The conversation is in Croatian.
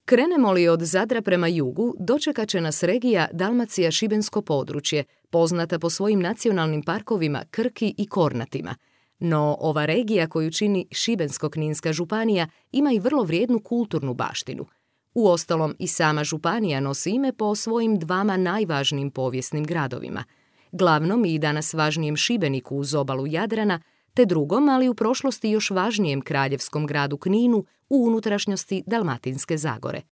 Krenemo li od Zadra prema jugu, dočekat će nas regija Dalmacija-Šibensko područje, poznata po svojim nacionalnim parkovima Krki i Kornatima. No ova regija koju čini Šibensko-kninska županija ima i vrlo vrijednu kulturnu baštinu. Uostalom i sama županija nosi ime po svojim dvama najvažnijim povijesnim gradovima, glavnom i danas važnijem Šibeniku uz obalu Jadrana, te drugom, ali u prošlosti još važnijem kraljevskom gradu Kninu u unutrašnjosti Dalmatinske Zagore.